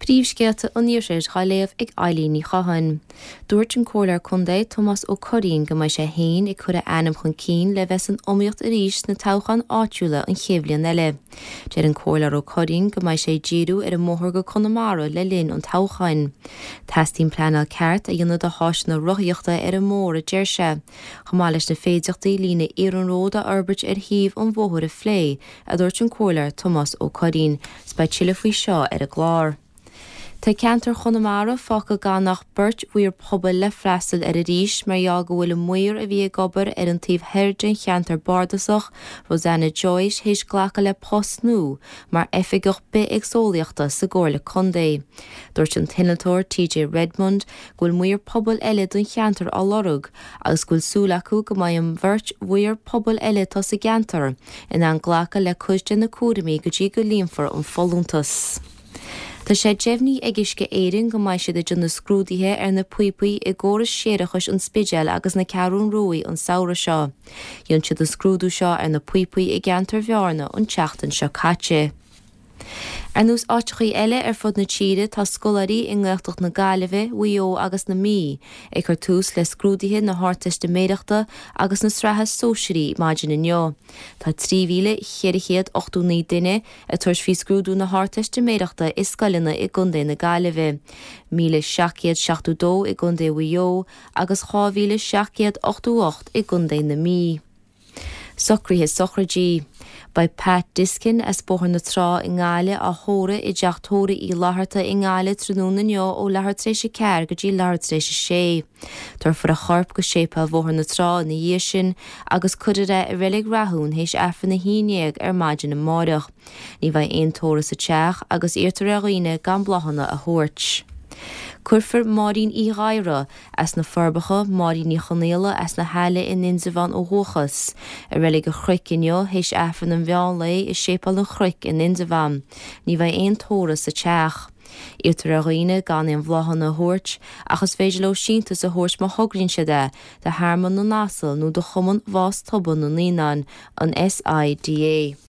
Príomhscéalta an Iarthair á léamh ag Eilín Ní Chatháin. Dúirt an Comhairleoir Contae Tomás Ó Curraoin go mbeidh sé féin ag cur a ainm chun cinn le bheith san iomaíocht arís sna toghcháin áitiúla an chéad bhliain eile. Deir an Comhairleoir Ó Curraoin go mbeidh sé ag díriú ar an mbóthar go Conamara le linn an toghcháin. Teastaíonn pleanáil ceart a dhéanamh do háiseanna rothaíochta ar an mbóthar a deir sé, chomh maith leis na féideachtaí líne iarnróid a fhorbairt ar thaobh an bhóthair a phlé, a dúirt an Comhairleoir Tomás Ó Curraoin. 'S beidh tuilleadh faoi seo ar an gclár. Tá ceantar Chonamara fágtha gan ach beirt mhaor pobail le freastal air arís mar gheall go bhfuil an maor a bhí ag obair ar an taobh thoir den cheantar bardasach, Rosanna Joyce, théis glacadh le post nua mar Oifigeach Bithéagsúlachta sa gComhairle Contae. Dúirt an t-innealtóir TJ Redmond go bhfuil maor pobail eile don cheantar á lorg agus go bhfuil súil acu go mbeidh an bheirt mhaor pobail eile atá sa gceantar in ann glacadh le cuid de na cúraimí go dtí go líonfar an folúntas. Tá sé deimhnithe ag Uisce Éireann go mbeidh siad ag déanamh scrúduithe ar na píopaí i gcóras séarachais an Spidéil agus na Ceathrún Ruaidh an samhradh seo. Dhein siad an scrúdú seo ar na píopaí i gceantar Bhearna an tseachtain seo caite. Ar nós áiteachaí eile ar fud na tíre, tá scoláirí i nGaeltacht na Gaillimhe, Mhaigh Eo agus na Mí ag cur tús le scrúduithe na hArdteistiméireachta agus na Sraithe Sóisearaí maidin inniu. Tá 3,489 duine ag tabhairt faoi scrúdú na hArdteistiméireachta i scoileanna i gContae na Gaillimhe, 1,772 i gContae Mhaigh Eo agus 2,788 i gContae na Mí. Socruithe sochraidí. Beidh Pat Diskin as Bóthar na Trá i nGaillimh á thórramh i dTeach Tórraimh Uí Fhlatharta i nGaillimh tráthnóna inniu ó leathuair tar éis a 4 go dtí leathuair tar éis a 6. Tabharfar a chorp go Séipéal Bhóthar na Trá ina dhiaidh sin agus cuirfear é i Reilig Rathún théis Aifreann 11 ar maidin amáireach. Ní bheidh aon tórramh sa teach agus iarrtar ar dhaoine gan bláthanna a thabhairt. Cuirfear Máirín Uí Ghadhra, as na Forbacha, Máirín Ní Chonaola as na hAille in Indreabhán ó dhúchas, i Reilig an Chnoic inniu théis Aifreann an mheán lae i Séipéal an Chnoic in Indreabhán. Ní bheidh aon tórramh sa teach. Iarrtar ar dhaoine gan aon bhláthanna a thabhairt ach is féidir leo síntiús a thabhairt má thograíonn siad é, do Thearmann na nAsal nó do Chumann Bhás Tobann na Naíonán, an SIDA.